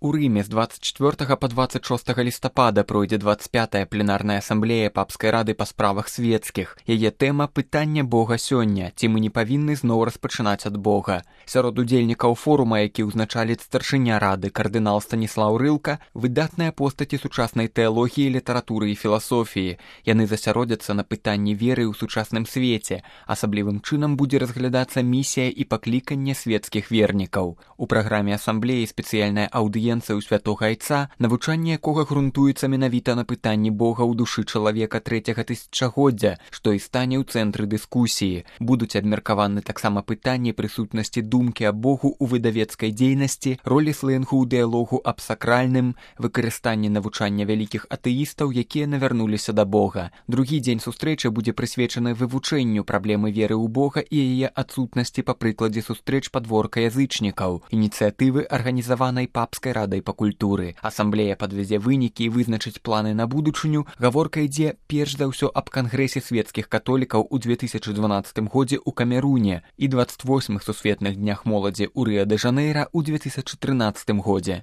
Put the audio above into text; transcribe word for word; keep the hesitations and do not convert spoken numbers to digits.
У Рыме з двадцать чатвёртага па двадцать шостага лістапада пройдзе двадцать пятая пленарная асамблея папскай рады па справах свецкіх. Яе тэма пытання Бога сёння, ці мы не павінны зноў распачынаць ад Бога. Сярод удзельнікаў форума, які ўзначаліць старшыня рады кардынал Станіслаў Рылка, выдатныя постаці сучаснай тэалогіі, літаратуры і філасофіі. Яны засяродзяцца на пытанні веры ў сучасным свеце. Асаблівым чынам будзе разглядацца місія і пакліканне свецкіх вернікаў. У праграме асамблеі спецыяльная аўдыенцыя ў святога айца, навучанне якога грунтуецца менавіта на пытанні Бога ў душы чалавека трэцяга тысячагоддзя, што і стане ў цэнтры дыскусіі. Будуць абмеркаваны таксама пытанні прысутнасці думкі аб Богу ў выдавецкай дзейнасці, ролі слэнгу ў дыялогу аб сакральным, выкарыстанні навучання вялікіх атэістаў, якія навярнуліся да Бога. Другі дзень сустрэчы будзе прысвечаны вывучэнню праблемы веры ў Бога і яе адсутнасці па прыкладзе сустрэч падворка язычнікаў, ініцыятывы арганізаванай папскай радай па культуры. Асамблея падвязе вынікі і вызначыць планы на будучыню. Гаворка ідзе перш за ўсё аб кангрэсе свецкіх католікаў у две тысячы дванаццатым годзе ў Камеруне і дваццаць восьмых сусветных днях моладзі ў Рыа-дэ-Жанейра ў две тысячы трынаццатым годзе.